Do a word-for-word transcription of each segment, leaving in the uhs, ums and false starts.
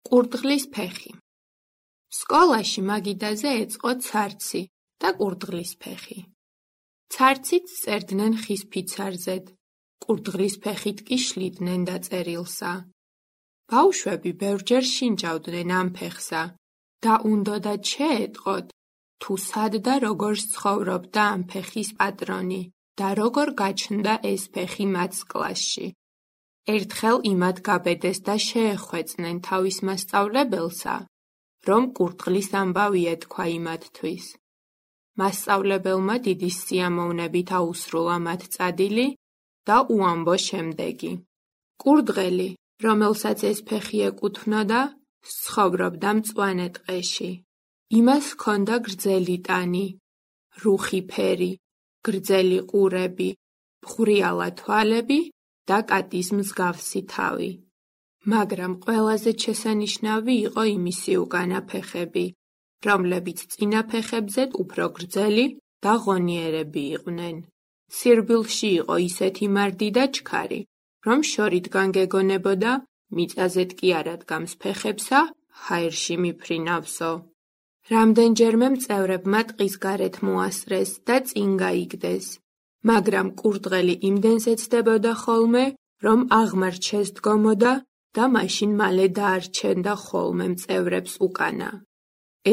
კურდღლის ფეხი. სკოლაში მაგიდაზე ეწყო ცარცი და კურდღლის ფეხი. ცარცით წერდნენ ხის ფიცარზედ, კურდღლის ფეხით კი შლიდნენ დაწერილსა. ბავშვები ბევრჯერ შინჯავდნენ ამ ფეხსა და უნდოდათ შეეტყოთ, თუ სად და როგორ ცხოვრობდა ამ ფეხის პატრონი და როგორ გაჩნდა ეს ფეხი მათ კლასში. ერთხელ იმად გაბედეს და შეეხვეწნენ თავის მასწავლებელსა, რომ კურდღლის ამბავი ეთქვა იმათთვის. მასწავლებელმა დიდი სიამოვნებით აუსრულა მათ წადილი და უამბო შემდეგი. კურდღელი, რომელსაც ეს ფეხი ეკუთვნოდა, ცხოვრობდა მწვანე ტყეში. იმას ჰქონდა გრძელი ტანი, რუხი ფერი, გრძელი ყურები, მღვრიალა თვალები და კატის მსგავსი თავი. მაგრამ ყველაზე შესანიშნავი იყო იმისი უკანა ფეხები, რომლებიც წინა ფეხებზედ უფრო გრძელი და ღონიერები იყვნენ. სირბილში იყო ისეთი მარდი და ჩქარი, რომ შორიდან გეგონებოდა, მიწაზედ კი არ ადგამს ფეხებსა, ჰაერში მიფრინავსო. რამდენჯერმე მწევრებმა ტყის გარეთ მოასწრეს და წინ გაიგდეს, მაგრამ კურდღელი იმდენს ეცდებოდა ხოლმე, რომ აღმართ შესდგომოდა და მაშინ მალე დაარჩენდა ხოლმე მწევრებს უკანა.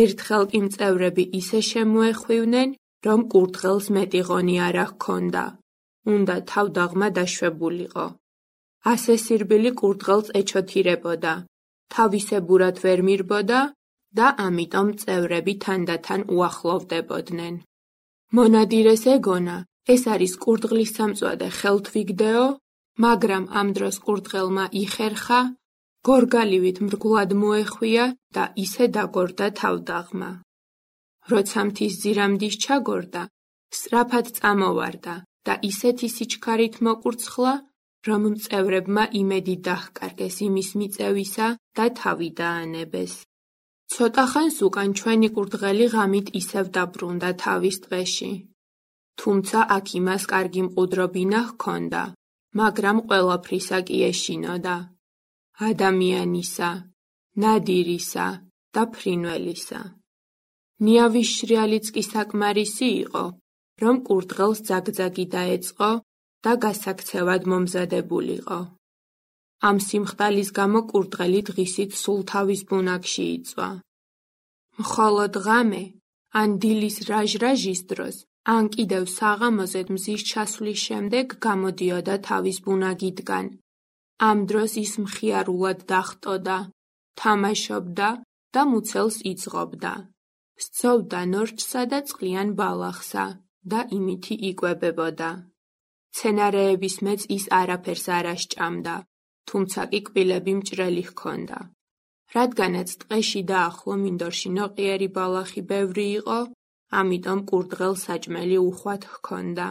ერთხელ კი მწევრები ისე შემოეხვივნენ, რომ კურდღელს მეტი ღონი არ ჰქონდა, უნდა თავდაღმა დაშვებულიყო. ასე სირბილი კურდღელს ეჩოთირებოდა, თავისებურად ვერ მირბოდა და ამიტომ მწევრები თანდათან უახლოვდებოდნენ. მონადირეს ეგონა, ეს არის კურდღლის სამწვადე ხელთვიგდეო, მაგრამ ამ დროს კურდღელმა იხერხა, გორგალივით მრგვლად მოეხვია და ისე დაგორდა თავდაღმა. როცა მთის ძირამდის ჩაგორდა, სწრაფად წამოვარდა და ისეთი სიჩქარით მოკურცხლა, რომ მწევრებმა იმედი დაჰკარგეს იმის მიწევისა და თავი დაანებეს. ცოტა ხანს უკან ჩვენი კურდღელი ღამით ისევ დაბრუნდა თავის ტყეში. თუმცა აქ იმას კარგი მყუდრობინა ჰქონდა, მაგრამ ყველაფრისა კი ეშინოდა. ადამიანისა, ნადირისა და ფრინველისა. ნიავის შრიალიც კი საკმარისი იყო, რომ კურდღელს ძაგძაგი დაეწყო და გასაქცევად მომზადებულიყო. ამ სიმხდალის გამო კურდღელი დღისით სულ თავის ბუნაგში იწვა. მხოლოდ ღამე, ან დილის რაჟ-რაჟის დროს, ან კიდევ საღამოზედ მზის ჩასვლის შემდეგ გამოდიოდა თავის ბუნაგიდან. ამ დროს ის მხიარულად დახტოდა, თამაშობდა და მუცელს იძღობდა. სცოვდა ნორჩსა და წყლიან ბალახსა და იმითი იკვებებოდა. მცენარეების მეც ის არაფერს არ ასჭამდა, თუმცა კი კბილები მჭრელი ჰქონდა. რადგანაც ტყეში და ახლო მინდორში ნოყიერი ბალახი ბევრი იყო, ამიტომ კურდღელს საჭმელი უხვად ჰქონდა.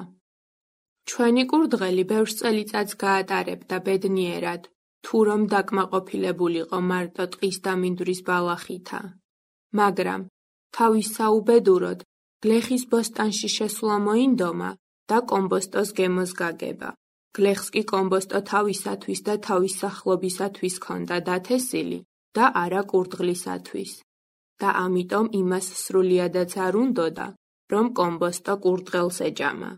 ჩვენი კურდღელი ბევრ წელიწადს გაატარებდა ბედნიერად, თუ რომ დაკმაყოფილებულიყო მარტო ტყის და მინდვრის ბალახითა. მაგრამ თავის საუბედუროდ გლეხის ბოსტანში შესვლა მოინდომა და კომბოსტოს გემოს გაგება. გლეხს კი კომბოსტო თავისათვის და თავის სახლობისათვის ჰქონდა დათესილი და არა კურდღლისათვის. და ამიტომ იმას სრულიადაც არ უნდოდა, რომ კომბოსტო კურდღელს ეჯამა.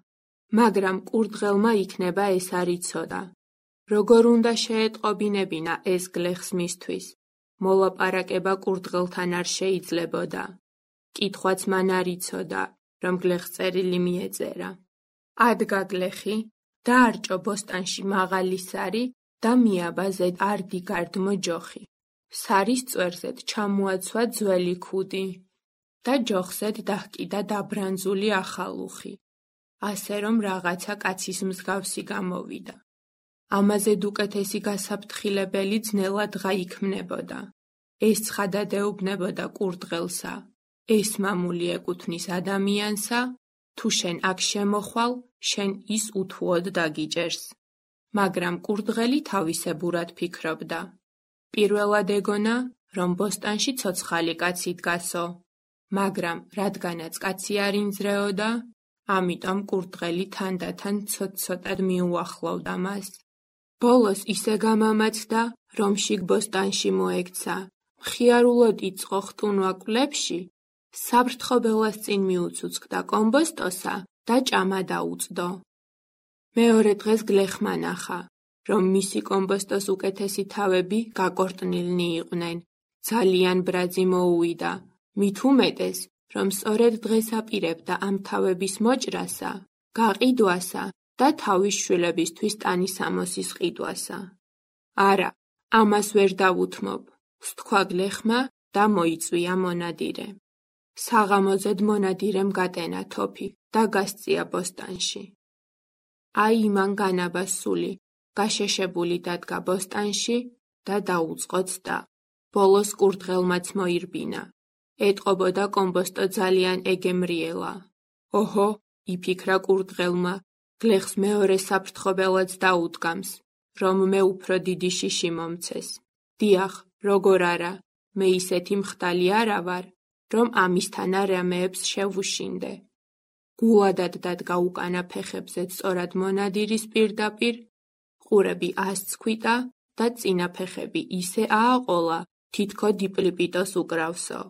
მაგრამ კურდღელმა იქნება ეს არ იცოდა. როგორ უნდა შეეტყობინებინა ეს გლეხს მისთვის? მოლაპარაკება კურდღელთან არ შეიძლებოდა. კითხვაც მან არ იცოდა, რომ გლეხს წერილი მიეწერა. ადგა გლეხი, დაარჭო ბოსტანში მაღალი სარი და მიაბა ზედ არდი გარდმო ჯოხი. სარის წვერზედ ჩამოაცვა ძველი ქუდი და ჯოხზედ დაჰკიდა დაბრანძული ახალუხი, ასე რომ რაღაცა კაცის მსგავსი გამოვიდა. ამაზე უკეთესი გასაფრთხილებელი ძნელად გაიქმნებოდა. ეს ცხადად ეუბნებოდა კურდღელსა, ეს მამული ეკუთვნის ადამიანსა, თუ შენ აქ შემოხვალ, შენ ის უთუოდ დაგიჭერს. მაგრამ კურდღელი თავისებურად ფიქრობდა. პირველად ეგონა, რომ ბოსტანში ცოცხალი კაცი დგასო, მაგრამ რადგანაც კაცი არ ინძრეოდა, ამიტომ კურდღელი თანდათან ცოტ-ცოტად მიუახლოვდა მას. ბოლოს ისე გამამაცდა, რომ შიგ ბოსტანში მოექცა, მხიარულოდ იწყო ხტუნვა კვლებში, საფრთხობელას წინ მიუცუცქდა კომბოსტოსა და ჭამა დაუწდო. მეორე დღეს გლეხმა ნახა, რომ მისი კომბოსტოს უკეთესი თავები გაკორტნილნი იყვნენ. ძალიან ბრაძი მოუვიდა, მით უმეტეს, რომ სწორედ დღეს აპირებდა ამ თავების მოჭრასა, გაყიდვასა და თავის შვილებისთვის ტანისამოსის ყიდვასა. არა, ამას ვერ დავუთმობ, სთქვა გლეხმა და მოიწვია მონადირე. საღამოძედ მონადირემ გატენა თოფი და გასწია ბოსტანში. აი იმან განაბას სული, გაშეშებული დადგა ბოსტანში და დაუწყო ცდა. ბოლოს კურდღელმაც მოირბინა. ეტყობოდა კომბოსტო ძალიან ეგემრიელა. ოჰო, იფიქრა კურდღელმა, გლეხს მეორე საფრთხობელად დაუდგამს, რომ მე უფრო დიდი შიში მომცეს. დიახ, როგორ არა, მე ისეთი მხტალი არა ვარ, რომ ამისთან არამეებს შევუშინდე. გულადად დადგა უკანა ფეხებზე სწორად მონადირის პირდაპირ, ყურები ასცქვიტა და წინა ფეხები ისე ააყოლა, თითქო დიპლიპიტოს უკრავსო.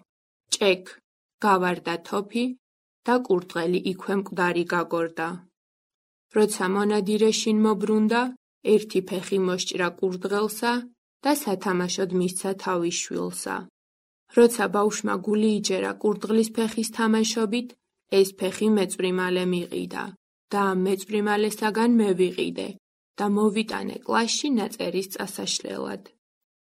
ჭექ, გავარდა თოფი და კურდღელი იქვე მკვდარი გაგორდა. როცა მონადირე შინ მობრუნდა, ერთი ფეხი მოსჭრა კურდღელსა და სათამაშოდ მისცა თავის შვილსა. როცა ბავშვმა გული იჯერა კურდღლის ფეხის თამაშობით, ეს ფეხი მეწვრიმალე მიყიდა და ამ მეწვრიმალესაგან მე ვიყიდე და მოვიტანე კლასში ნაწერის წასაშლელად.